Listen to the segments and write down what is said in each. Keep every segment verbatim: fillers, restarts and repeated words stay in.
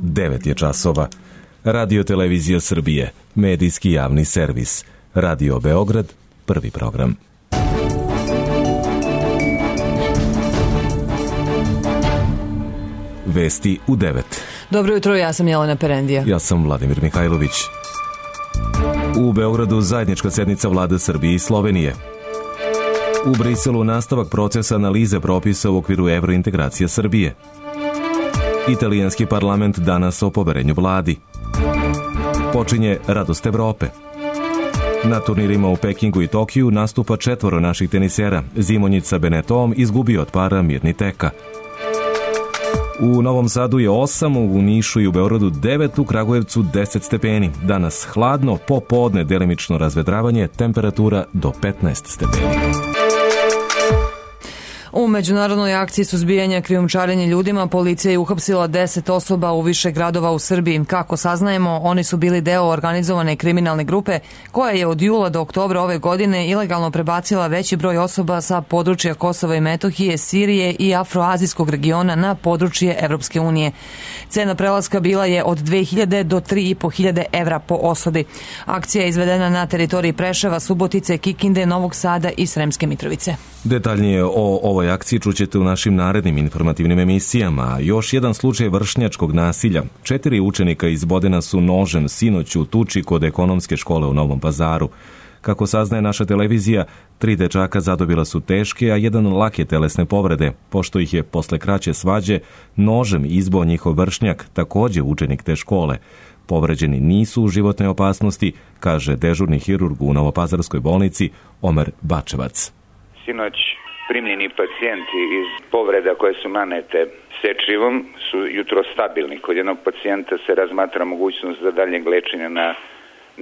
devet je časova. Radio Televizija Srbije, medijski javni servis. Radio Beograd, prvi program. Vesti u devet. Dobro jutro, ja sam Jelena Perendija. Ja sam Vladimir Mihajlović. U Beogradu zajednička sednica vlade Srbije i Slovenije. U Briselu nastavak procesa analize propisa u okviru evrointegracije Srbije. Italijanski parlament danas o poverenju vladi. Počinje Radost Evrope. Na turnirima u Pekingu i Tokiju nastupa četvoro naših tenisera. Zimonjić sa Benetom izgubio od para Mirni Teka. U Novom Sadu je osam, u Nišu i u Beogradu devet, u Kragujevcu deset stepeni. Danas hladno, popodne delimično razvedravanje, temperatura do petnaest stepeni. U međunarodnoj akciji suzbijanja krijumčarenja ljudima policija je uhapsila deset osoba u više gradova u Srbiji. Kako saznajemo, oni su bili deo organizovane kriminalne grupe koja je od jula do oktobra ove godine ilegalno prebacila veći broj osoba sa područja Kosova i Metohije, Sirije i afroazijskog regiona na područje Evropske unije. Cena prelaska bila je od dve hiljade do tri i po hiljade evra po osobi. Akcija je izvedena na teritoriji Preševa, Subotice, Kikinde, Novog Sada i Sremske Mitrovice. Detaljnije o ovoj akciji čućete u našim narednim informativnim emisijama. Još jedan slučaj vršnjačkog nasilja. Četiri učenika iz Bodena su nožem sinoć u tuči kod ekonomske škole u Novom Pazaru. Kako saznaje naša televizija, tri dečaka zadobila su teške, a jedan lake telesne povrede, pošto ih je posle kraće svađe nožem izboo njihov vršnjak, takođe učenik te škole. Povređeni nisu u životnoj opasnosti, kaže dežurni hirurg u Novopazarskoj bolnici Omer Bačevac. Sinoć primljeni pacijenti iz povreda koje su nanete sečivom su jutro stabilni. Kod jednog pacijenta se razmatra mogućnost za daljnjeg lečenja na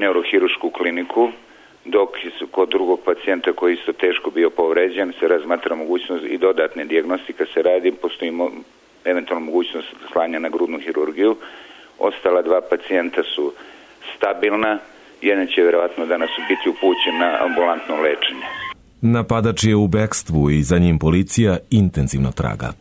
neurohirušku kliniku, dok kod drugog pacijenta koji isto teško bio povređen se razmatra mogućnost i dodatne dijagnostika se radi, postoji eventualno mogućnost slanja na grudnu hirurgiju. Ostala dva pacijenta su stabilna, jedan će vjerovatno danas biti upućen na ambulantno lečenje. Napadač je u bekstvu i za njim policija intenzivno traga.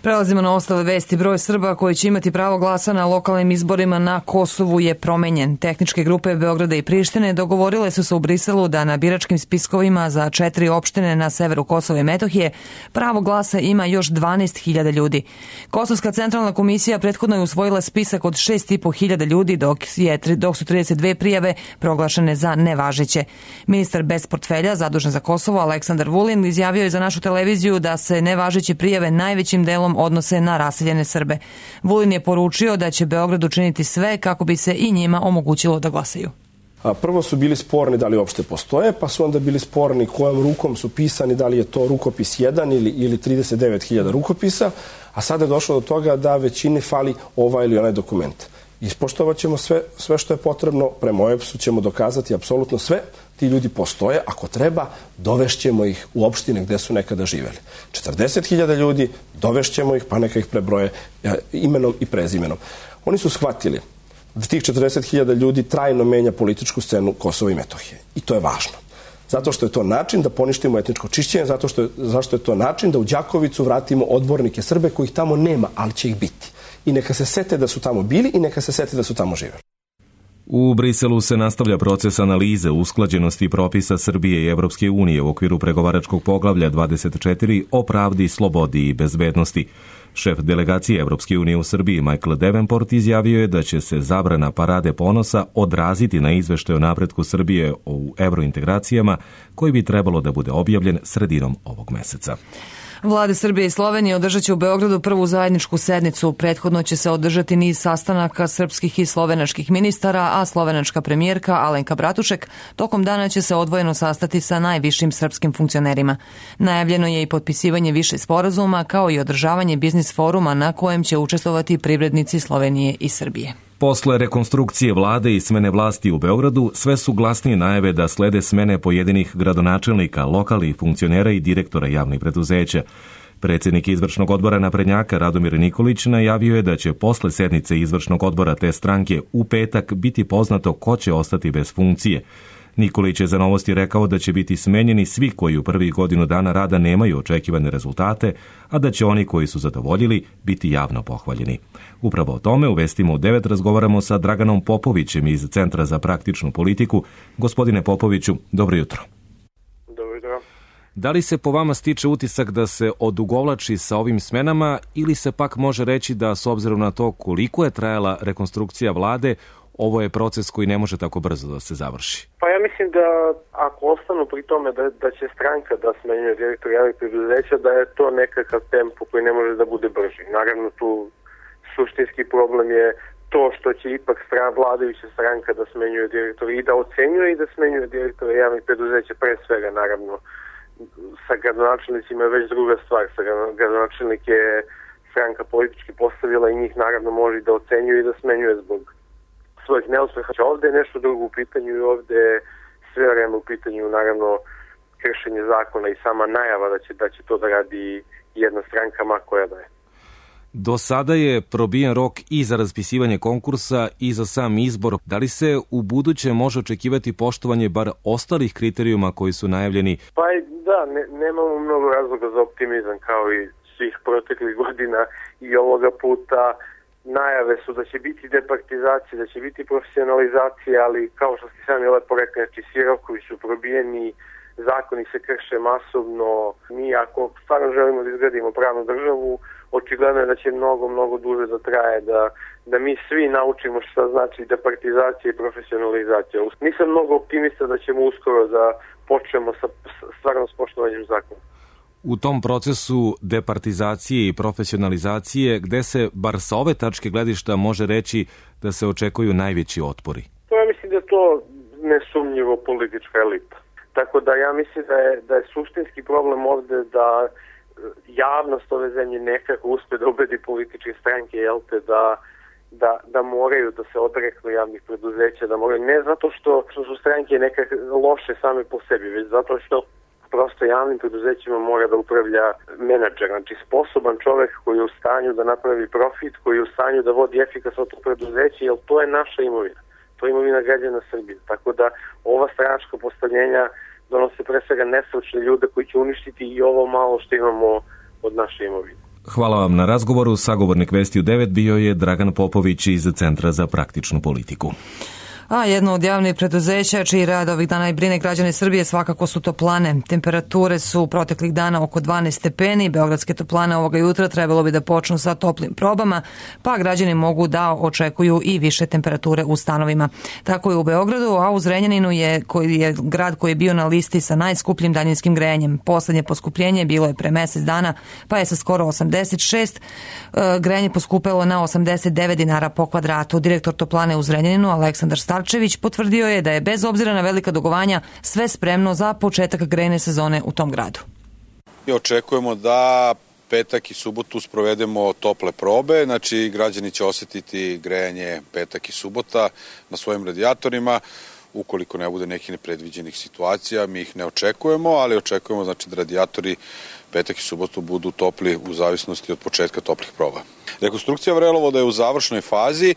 Prelazimo na ostale vesti. Broj Srba koji će imati pravo glasa na lokalnim izborima na Kosovu je promenjen. Tehničke grupe Beograda i Prištine dogovorile su se u Briselu da na biračkim spiskovima za četiri opštine na severu Kosova i Metohije pravo glasa ima još dvanaest hiljada ljudi. Kosovska centralna komisija prethodno je usvojila spisak od šest i po hiljada ljudi, dok, je, dok su trideset dve prijave proglašene za nevažeće. Ministar bez portfelja, zadužen za Kosovo, Aleksandar Vulin, izjavio je za našu televiziju da se nevažeće prijave najvećim delom odnose na raseljene Srbe. Vulin je poručio da će Beograd učiniti sve kako bi se i njima omogućilo da glasaju. A prvo su bili sporni da li uopšte postoje, pa su onda bili sporni kojom rukom su pisani, da li je to rukopis jedan ili, ili trideset devet hiljada rukopisa, a sada je došlo do toga da većini fali ovaj ili onaj dokument. Ispoštovat ćemo sve, sve što je potrebno, prema O E B S-u ćemo dokazati apsolutno sve, ti ljudi postoje, ako treba, dovešćemo ih u opštine gde su nekada živeli. četrdeset hiljada ljudi, dovešćemo ih, pa neka ih prebroje imenom i prezimenom. Oni su shvatili da tih četrdeset hiljada ljudi trajno menja političku scenu Kosova i Metohije. I to je važno. Zato što je to način da poništimo etničko čišćenje, zato što je, zašto je to način da u Đakovicu vratimo odbornike Srbe kojih tamo nema, ali će ih biti. I neka se sete da su tamo bili i neka se sete da su tamo živeli. U Briselu se nastavlja proces analize usklađenosti propisa Srbije i Evropske unije u okviru pregovaračkog poglavlja dvadeset četiri o pravdi, slobodi i bezbednosti. Šef delegacije Evropske unije u Srbiji Michael Davenport izjavio je da će se zabrana parade ponosa odraziti na izveštaj o napretku Srbije u evrointegracijama koji bi trebalo da bude objavljen sredinom ovog meseca. Vlade Srbije i Slovenije održat će u Beogradu prvu zajedničku sednicu. Prethodno će se održati niz sastanaka srpskih i slovenačkih ministara, a slovenačka premijerka Alenka Bratušek tokom dana će se odvojeno sastati sa najvišim srpskim funkcionerima. Najavljeno je i potpisivanje više sporazuma, kao i održavanje biznis foruma na kojem će učestvovati privrednici Slovenije i Srbije. Posle rekonstrukcije vlade i smene vlasti u Beogradu, sve su glasnije najave da slede smene pojedinih gradonačelnika, lokalnih funkcionera i direktora javnih preduzeća. Predsjednik izvršnog odbora naprednjaka Radomir Nikolić najavio je da će posle sednice izvršnog odbora te stranke u petak biti poznato ko će ostati bez funkcije. Nikolić je za Novosti rekao da će biti smenjeni svi koji u prvih godinu dana rada nemaju očekivane rezultate, a da će oni koji su zadovoljili biti javno pohvaljeni. Upravo o tome u Vestima u devet razgovaramo sa Draganom Popovićem iz Centra za praktičnu politiku. Gospodine Popoviću, dobro jutro. Dobro jutro. Da li se po vama stiče utisak da se odugovlači sa ovim smenama ili se pak može reći da s obzirom na to koliko je trajala rekonstrukcija vlade, ovo je proces koji ne može tako brzo da se završi? Pa ja mislim da ako ostanu pri tome da, da će stranka da smenjuje direktor javnih preduzeća, da je to nekakav tempo koji ne može da bude brži. Naravno tu suštinski problem je to što će ipak stran, vladajuća stranka da smenjuje direktora i da ocenjuje i da smenjuje direktora javnih preduzeća, pre svega naravno. Sa gradonačelnicima je već druga stvar. Sa gradonačelnik je stranka politički postavila i njih naravno može da ocenjuje i da smenjuje zbog svojih neuspeha. Ovde je nešto drugo u pitanju i ovde je sve vreme u pitanju naravno kršenje zakona i sama najava da će, da će to da radi jedna stranka, ma koja da je. Do sada je probijen rok i za raspisivanje konkursa i za sam izbor. Da li se u buduće može očekivati poštovanje bar ostalih kriterijuma koji su najavljeni? Pa da, ne, nemamo mnogo razloga za optimizam kao i svih proteklih godina i ovoga puta. Najave su da će biti departizacija, da će biti profesionalizacija, ali kao što ste sami lepo rekli, znači svi rokovi su probijeni, zakoni se krše masovno. Mi ako stvarno želimo da izgradimo pravnu državu, očigledno je da će mnogo, mnogo duže da traje, da, da mi svi naučimo šta znači departizacija i profesionalizacija. Nisam mnogo optimista da ćemo uskoro da počnemo sa stvarno s poštovanjem zakona. U tom procesu departizacije i profesionalizacije, gde se, bar sa ove tačke gledišta, može reći da se očekuju najveći otpori? To ja mislim da je to nesumnjivo politička elita. Tako da ja mislim da je, da je suštinski problem ovde da javnost ove zemlje nekako uspe da ubedi političke stranke, jel te, da, da, da moraju da se odreknu javnih preduzeća, da moraju, ne zato što, što su stranke nekako loše same po sebi, već zato što prosto javnim preduzećima mora da upravlja menadžer, znači sposoban čovek koji je u stanju da napravi profit, koji je u stanju da vodi efikasno to preduzeće, jer to je naša imovina. To je imovina građana Srbije. Tako da ova stranačka postavljenja donose pre svega nestručne ljude koji će uništiti i ovo malo što imamo od naše imovine. Hvala vam na razgovoru. Sagovornik Vesti u devet bio je Dragan Popović iz Centra za praktičnu politiku. A jedno od javnih preduzeća čiji rad ovih dana i brine građane Srbije svakako su toplane. Temperature su proteklih dana oko dvanaest stepeni. Beogradske toplane ovoga jutra trebalo bi da počnu sa toplim probama, pa građani mogu da očekuju i više temperature u stanovima. Tako je u Beogradu, a u Zrenjaninu je, koji je grad koji je bio na listi sa najskupljim daljinskim grejanjem. Poslednje poskupljenje bilo je pre mesec dana, pa je sa skoro osamdeset šest grejanje poskupelo na osamdeset devet dinara po kvadratu. Direktor toplane u Zrenjaninu, Aleksandar Starčević, potvrdio je da je bez obzira na velika dugovanja sve spremno za početak grejne sezone u tom gradu. Mi očekujemo da petak i subotu sprovedemo tople probe, znači građani će osetiti grejanje petak i subota na svojim radijatorima. Ukoliko ne bude nekih nepredviđenih situacija, mi ih ne očekujemo, ali očekujemo znači da radijatori petak i subotu budu topli u zavisnosti od početka toplih proba. Rekonstrukcija vrelovoda je u završnoj fazi. E,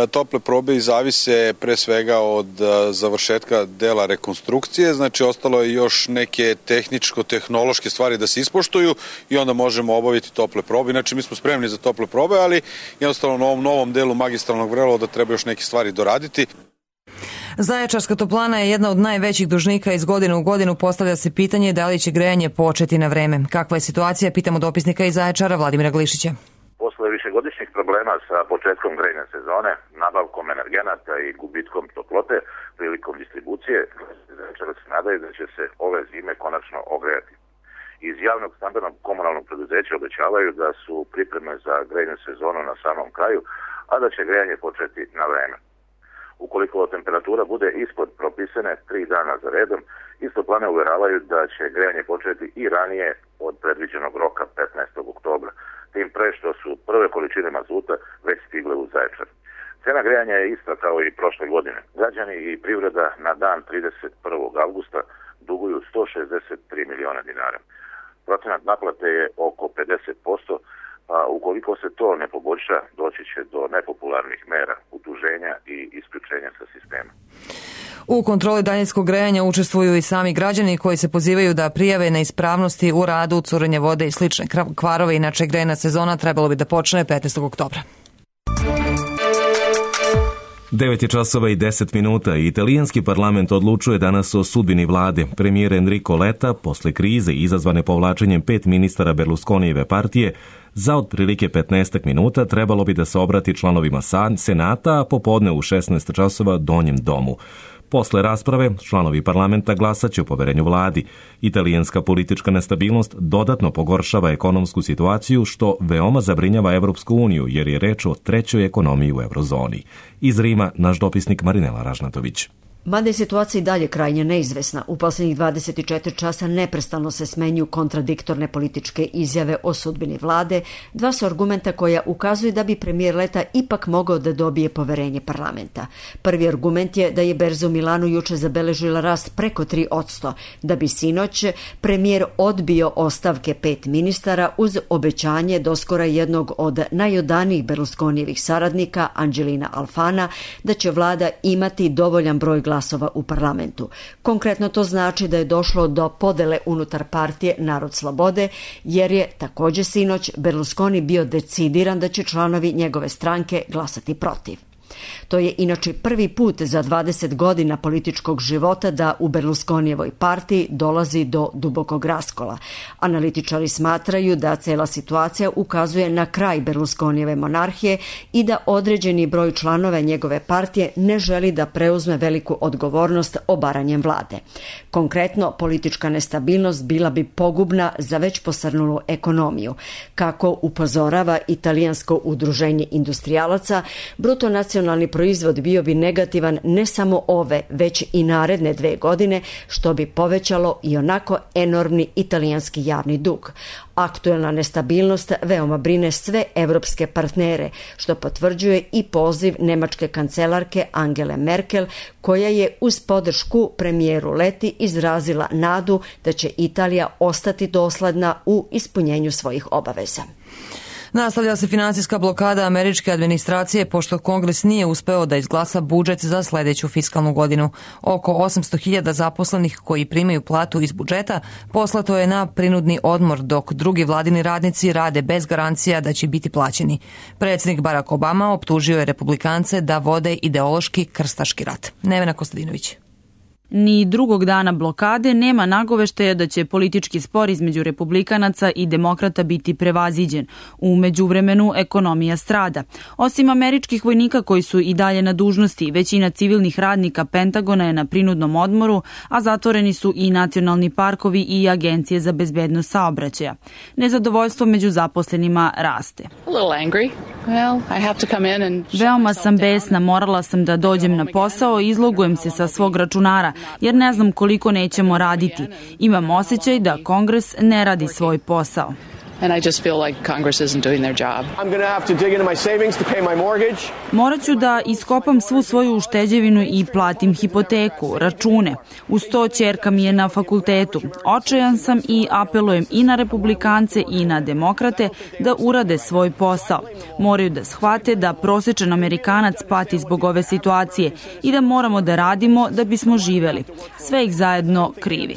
tople probe i zavise pre svega od e, završetka dela rekonstrukcije, znači ostalo je još neke tehničko-tehnološke stvari da se ispoštuju i onda možemo obaviti tople probe. Inače mi smo spremni za tople probe, ali jednostavno na ovom novom delu magistralnog vrelovoda treba još neke stvari doraditi. Zaječarska toplana je jedna od najvećih dužnika. Iz godine u godinu postavlja se pitanje da li će grejanje početi na vreme. Kakva je situacija, pitamo dopisnika iz Zaječara Vladimira Glišića. Posle višegodišnjih problema sa početkom grejne sezone, nabavkom energenata i gubitkom toplote prilikom distribucije, Zaječara se nadaju da će se ove zime konačno ogrejati. Iz javnog stambenog komunalnog preduzeća obećavaju da su pripreme za grejnu sezonu na samom kraju, a da će grejanje početi na vreme. Ukoliko temperatura bude ispod propisane tri dana za redom, iz toplane uveravaju da će grejanje početi i ranije od predviđenog roka petnaestog oktobra, tim pre što su prve količine mazuta već stigle u Zaječar. Cena grejanja je ista kao i prošle godine. Građani i privreda na dan trideset prvog avgusta duguju sto šezdeset tri miliona dinara. Procenat naplate je oko pedeset posto, a ukoliko se to ne poboljša, doći će do nepopularnih mera, utuženja i isključenja sa sistema. U kontroli daljinskog grejanja učestvuju i sami građani koji se pozivaju da prijave neispravnosti u radu, curenje vode i slične kvarove. Inače, grejna sezona trebalo bi da počne petnaestog oktobra. devet je časova i deset minuta i italijanski parlament odlučuje danas o sudbini vlade. Premijer Enrico Letta, posle krize izazvane povlačenjem pet ministara Berlusconijeve partije, za otprilike petnaest minuta trebalo bi da se obrati članovima Senata, a popodne u šesnaest časova donjem domu. Posle rasprave, članovi parlamenta glasaće o poverenju vladi. Italijanska politička nestabilnost dodatno pogoršava ekonomsku situaciju, što veoma zabrinjava Evropsku uniju, jer je reč o trećoj ekonomiji u eurozoni. Iz Rima, naš dopisnik Marinela Ražnatović. Mada je situacija i dalje krajnje neizvesna, u posljednjih dvadeset četiri časa neprestano se smenjuju kontradiktorne političke izjave o sudbini vlade, dva su argumenta koja ukazuju da bi premijer Letta ipak mogao da dobije poverenje parlamenta. Prvi argument je da je berza u Milanu juče zabeležila rast preko tri posto, da bi sinoć premijer odbio ostavke pet ministara uz obećanje doskora jednog od najodanijih Berlusconijevih saradnika, Angelina Alfana, da će vlada imati dovoljan broj glasova glasova u parlamentu. Konkretno to znači da je došlo do podele unutar partije Narod slobode, jer je također sinoć Berlusconi bio decidiran da će članovi njegove stranke glasati protiv. To je inače prvi put za dvadeset godina političkog života da u Berlusconijevoj partiji dolazi do dubokog raskola. Analitičari smatraju da cela situacija ukazuje na kraj Berlusconijeve monarhije i da određeni broj članova njegove partije ne želi da preuzme veliku odgovornost obaranjem vlade. Konkretno, politička nestabilnost bila bi pogubna za već posrnulu ekonomiju. Kako upozorava italijansko udruženje industrijalaca, bruto nacionalni proizvod bio bi negativan ne samo ove, već i naredne dve godine, što bi povećalo i onako enormni italijanski javni dug. Aktuelna nestabilnost veoma brine sve evropske partnere, što potvrđuje i poziv nemačke kancelarke Angele Merkel, koja je uz podršku premijeru Letti izrazila nadu da će Italija ostati dosledna u ispunjenju svojih obaveza. Nastavlja se finansijska blokada američke administracije pošto Kongres nije uspeo da izglasa budžet za sledeću fiskalnu godinu. Oko osamsto hiljada zaposlenih koji primaju platu iz budžeta poslato je na prinudni odmor, dok drugi vladini radnici rade bez garancija da će biti plaćeni. Predsjednik Barack Obama optužio je republikance da vode ideološki krstaški rat. Nevena Kostadinović. Ni drugog dana blokade nema nagoveštaja da će politički spor između republikanaca i demokrata biti prevaziđen. U međuvremenu ekonomija strada. Osim američkih vojnika koji su i dalje na dužnosti, većina civilnih radnika Pentagona je na prinudnom odmoru, a zatvoreni su i nacionalni parkovi i agencije za bezbednost saobraćaja. Nezadovoljstvo među zaposlenima raste. Veoma sam besna, morala sam da dođem na posao i izlogujem se sa svog računara, jer ne znam koliko nećemo raditi. Imam osjećaj da Kongres ne radi svoj posao. And I just feel like Congress isn't doing their job. I'm going to have to dig into my savings to pay my mortgage. Morat ću da iskopam svu svoju ušteđevinu i platim hipoteku, račune. Uz to ćerka mi je na fakultetu. Očajan sam i apelujem i na republikance i na demokrate da urade svoj posao. Moraju da shvate da prosječan Amerikanac pati zbog ove situacije i da moramo da radimo da bismo živeli. Sve ih zajedno krivi.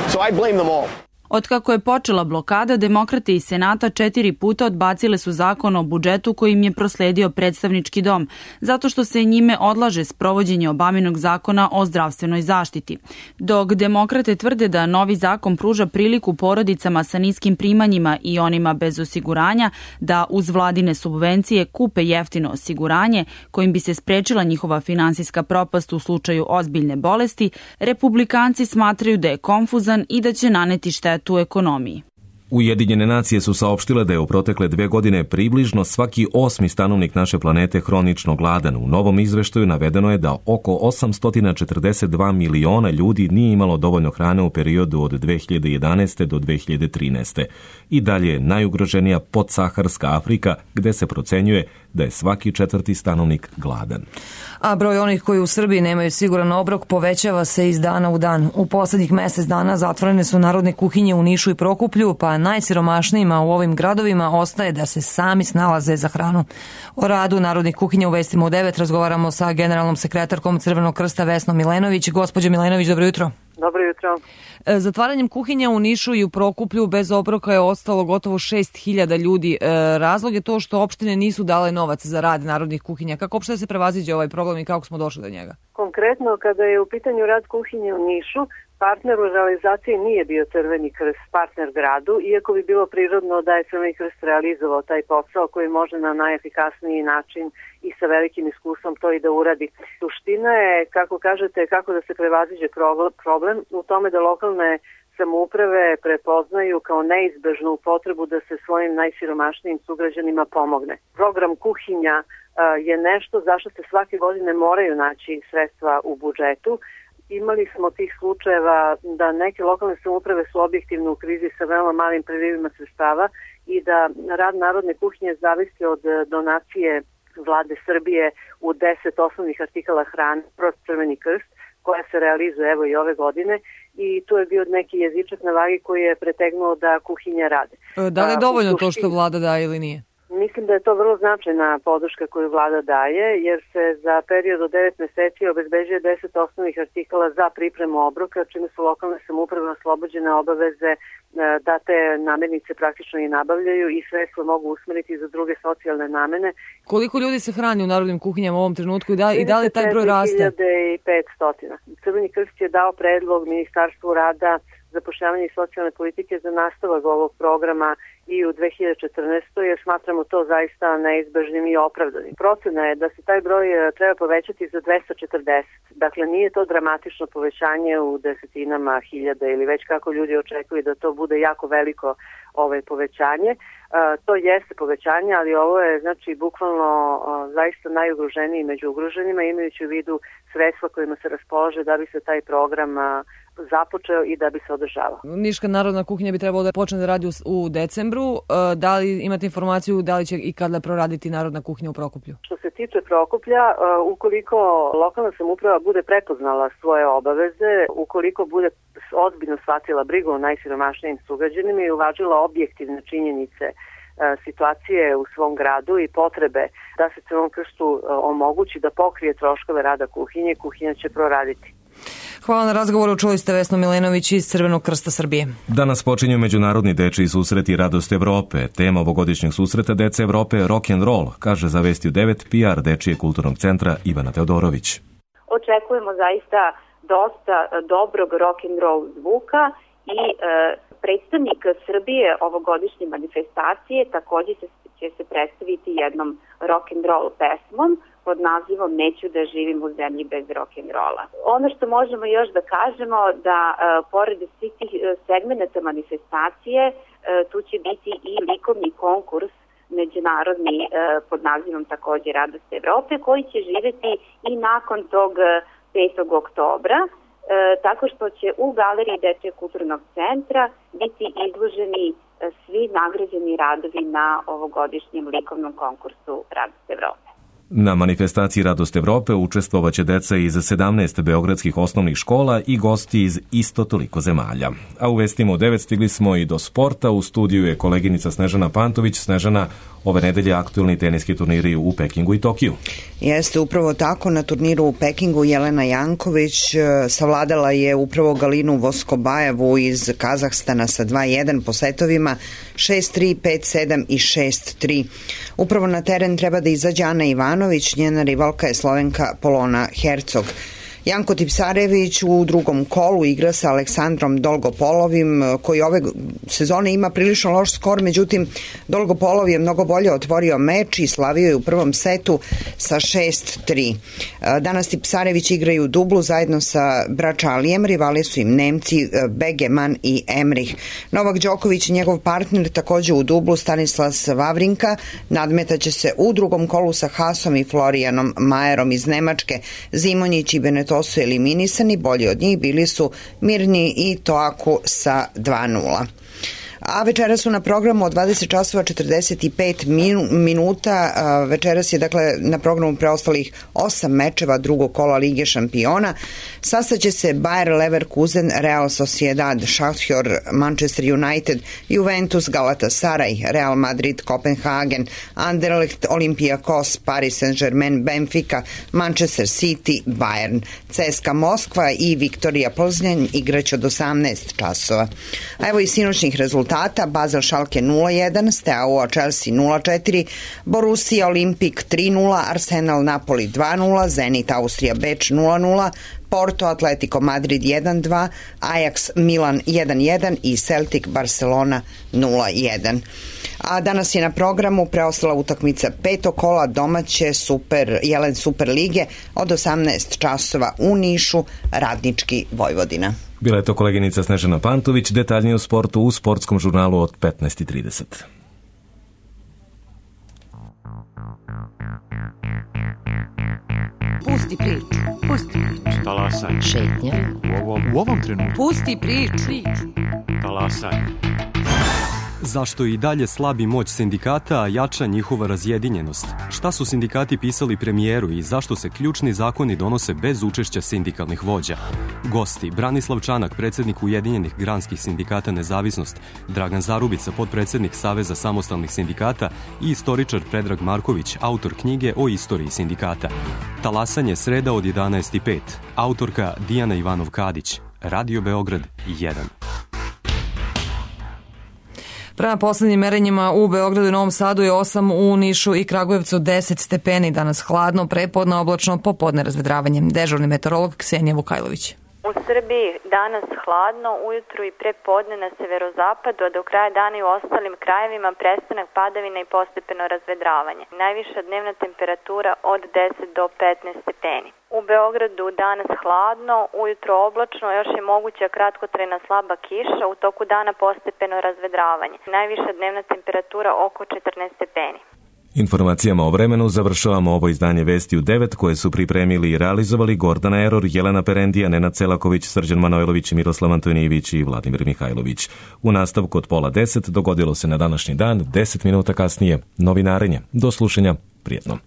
So I blame them all. Otkako je počela blokada, demokrate iz Senata četiri puta odbacile su zakon o budžetu kojim je prosledio predstavnički dom, zato što se njime odlaže sprovođenje Obaminog zakona o zdravstvenoj zaštiti. Dok demokrate tvrde da novi zakon pruža priliku porodicama sa niskim primanjima i onima bez osiguranja da uz vladine subvencije kupe jeftino osiguranje kojim bi se sprečila njihova finansijska propast u slučaju ozbiljne bolesti, republikanci smatraju da je konfuzan i da će naneti štetu u ekonomiji. Ujedinjene nacije su saopštile da je u protekle dve godine približno svaki osmi stanovnik naše planete hronično gladan. U novom izveštaju navedeno je da oko osamsto četrdeset dva miliona ljudi nije imalo dovoljno hrane u periodu od dve hiljade jedanaeste do dve hiljade trinaeste. I dalje je najugroženija podsaharska Afrika, gde se procenjuje da je svaki četvrti stanovnik gladan. A broj onih koji u Srbiji nemaju siguran obrok povećava se iz dana u dan. U poslednjih mesec dana zatvorene su narodne kuhinje u Nišu i Prokuplju, pa a najsiromašnijima u ovim gradovima ostaje da se sami snalaze za hranu. O radu narodnih kuhinja u Vestima u devet razgovaramo sa generalnom sekretarkom Crvenog krsta Vesnom Milenović. Gospođo Milenović, dobro jutro. Dobro jutro. Zatvaranjem kuhinja u Nišu i u Prokuplju bez obroka je ostalo gotovo šest hiljada ljudi. Razlog je to što opštine nisu dale novac za rad narodnih kuhinja. Kako uopšte se prevaziđe ovaj problem i kako smo došli do njega? Konkretno, kada je u pitanju rad kuhinje u Nišu, partner u realizaciji nije bio Crveni krst, partner gradu, iako bi bilo prirodno da je Crveni krst realizovao taj posao koji može na najefikasniji način i sa velikim iskustvom to i da uradi. Suština je, kako kažete, kako da se prevaziđe problem u tome da lokalne samouprave prepoznaju kao neizbežnu potrebu da se svojim najsiromašnijim sugrađanima pomogne. Program kuhinja je nešto zašto se svake godine moraju naći sredstva u budžetu. Imali smo tih slučajeva da neke lokalne samouprave su objektivno u krizi sa veoma malim prilivima sredstava i da rad narodne kuhinje zavisi od donacije vlade Srbije u deset osnovnih artikala hrane kroz Crveni krst, koja se realizuje evo i ove godine, i tu je bio neki jezičak na vagi koji je pretegnuo da kuhinja rade. Da li je dovoljno to što vlada daje ili nije? Mislim da je to vrlo značajna podrška koju vlada daje, jer se za period od devet meseci obezbeđuje deset osnovnih artikala za pripremu obroka, čime su lokalne samouprave oslobođene obaveze da te namirnice praktično i nabavljaju i sredstva mogu usmeriti za druge socijalne namene. Koliko ljudi se hrani u narodnim kuhinjama u ovom trenutku i da, i da li taj broj raste? trideset hiljada petsto. Crveni krst je dao predlog Ministarstvu rada, zapošljavanja i socijalne politike za nastavak ovog programa i u dve hiljade četrnaestoj. jer smatramo to zaista neizbežnim i opravdanim. Procena je da se taj broj treba povećati za dvesta četrdeset. Dakle, nije to dramatično povećanje u desetinama hiljada ili već kako ljudi očekuju da to bude jako veliko ovaj povećanje. E, to jeste povećanje, ali ovo je znači bukvalno o, zaista najugroženiji među ugroženima, imajući u vidu sredstva kojima se raspolaže da bi se taj program a, započeo i da bi se održavao. Niška narodna kuhinja bi trebalo da počne da radi u, u decembru. E, da li imate informaciju da li će i kada proraditi narodna kuhinja u Prokuplju? Što se tiče Prokuplja, e, ukoliko lokalna samouprava bude prepoznala svoje obaveze, ukoliko bude ozbiljno shvatila brigu o najsiromašnijim sugrađanima i uvažila objektivne činjenice e, situacije u svom gradu i potrebe da se Crvenom krstu e, omogući da pokrije troškove rada kuhinje, kuhinja će proraditi. Hvala na razgovoru, čuli ste Vesnu Milenović iz Crvenog krsta Srbije. Danas počinju Međunarodni dečiji susreti Radost Evrope. Tema ovogodišnjeg susreta Dece Evrope je rock and roll, kaže za Vesti u devet P R Dečijeg kulturnog centra Ivana Teodorović. Očekujemo zaista dosta dobrog rock and roll zvuka i e, predstavnik Srbije ovogodišnje manifestacije takođe će, će se predstaviti jednom rock and roll pesmom pod nazivom Neću da živim u zemlji bez rock'n'rolla. Ono što možemo još da kažemo da e, pored svih tih segmenata manifestacije e, tu će biti i likovni konkurs međunarodni e, pod nazivom takođe Radost Evrope koji će živeti i nakon tog petog oktobra e, tako što će u galeriji Dečijeg kulturnog centra biti izloženi e, svi nagrađeni radovi na ovogodišnjem likovnom konkursu Radost Evrope. Na manifestaciji Radost Evrope učestvovaće deca iz sedamnaest beogradskih osnovnih škola i gosti iz isto toliko zemalja. A u Vestima u devet stigli smo i do sporta. U studiju je koleginica Snežana Pantović. Snežana, ove nedelje aktuelni teniski turniri u Pekingu i Tokiju. Jeste upravo tako. Na turniru u Pekingu Jelena Janković savladala je upravo Galinu Voskobajevu iz Kazahstana sa dva jedan po setovima šest tri, pet sedam i šest tri. Upravo na teren treba da izađe Ana Ivanović, njena rivalka je Slovenka Polona Hercog. Janko Tipsarević u drugom kolu igra sa Aleksandrom Dolgopolovim, koji ove sezone ima prilično loš skor, međutim Dolgopolov je mnogo bolje otvorio meč i slavio je u prvom setu sa šest tri. Danas Tipsarević igraju u dublu zajedno sa Bračalijem, rivali su im Nemci Begeman i Emrih. Novak Đoković i njegov partner takođe u dublu Stanislas Wawrinka nadmetaće se u drugom kolu sa Hasom i Florianom Majerom iz Nemačke. Zimonjić i Beneto su eliminisani, bolji od njih bili su Mirni i Toaku sa dva nula. A večeras su na programu od dvadeset časova četrdeset pet minuta. Večeras je dakle na programu preostalih osam mečeva drugog kola Lige šampiona. Sastaće se Bayer Leverkusen, Real Sociedad, Shakhtar, Manchester United, Juventus, Galatasaray, Real Madrid, Kopenhagen, Anderlecht, Olympiakos, Paris Saint-Germain, Benfica, Manchester City, Bayern, C S K A Moskva i Viktorija Plznjan igraće od osamnaest časova. A evo i sinoćnih rezultata. Basel Schalke nula jedan, Steaua Chelsea nula četiri, Borussia Olimpik tri nula, Arsenal Napoli dva nula, Zenit Austrija Beč nula nula, Porto Atletico Madrid jedan dva, Ajax Milan jedan jedan i Celtic Barcelona nula jedan. A danas je na programu preostala utakmica petog kola domaće Super, Jelen Super lige od osamnaest časova u Nišu, Radnički Vojvodina. Bila je to koleginica Snežana Pantović, detaljnije o sportu u sportskom žurnalu od petnaest i trideset. Pusti priču, pusti priču. Talasaj. Šetnja. U ovom, u ovom trenutku. Pusti priču. Talasaj. Zašto i dalje slabi moć sindikata, a jača njihova razjedinjenost? Šta su sindikati pisali premijeru i zašto se ključni zakoni donose bez učešća sindikalnih vođa? Gosti: Branislav Čanak, predsjednik Ujedinjenih granskih sindikata Nezavisnost, Dragan Zarubica, potpredsjednik Saveza samostalnih sindikata i istoričar Predrag Marković, autor knjige o istoriji sindikata. Talasanje sreda od jedanaest i pet. Autorka Dijana Ivanov-Kadić. Radio Beograd jedan. Prema poslednjim merenjima u Beogradu i Novom Sadu je osam, u Nišu i Kragujevcu deset stepeni. Danas hladno, prepodne oblačno, popodne razvedravanje. Dežurni meteorolog Ksenija Vukajlović. U Srbiji danas hladno, ujutru i pre podne na severozapadu, a do kraja dana i u ostalim krajevima prestanak padavina i postepeno razvedravanje. Najviša dnevna temperatura od deset do petnaest stepeni. U Beogradu danas hladno, ujutro oblačno, još je moguća kratkotrajna slaba kiša, u toku dana postepeno razvedravanje. Najviša dnevna temperatura oko četrnaest stepeni. Informacijama o vremenu završavamo ovo izdanje Vesti u devet koje su pripremili i realizovali Gordana Eror, Jelena Perendija, Nenad Celaković, Srđan Manojlović, Miroslav Antonijević i Vladimir Mihajlović. U nastavku od pola deset dogodilo se na današnji dan, deset minuta kasnije, novinarenje. Do slušanja, prijetno.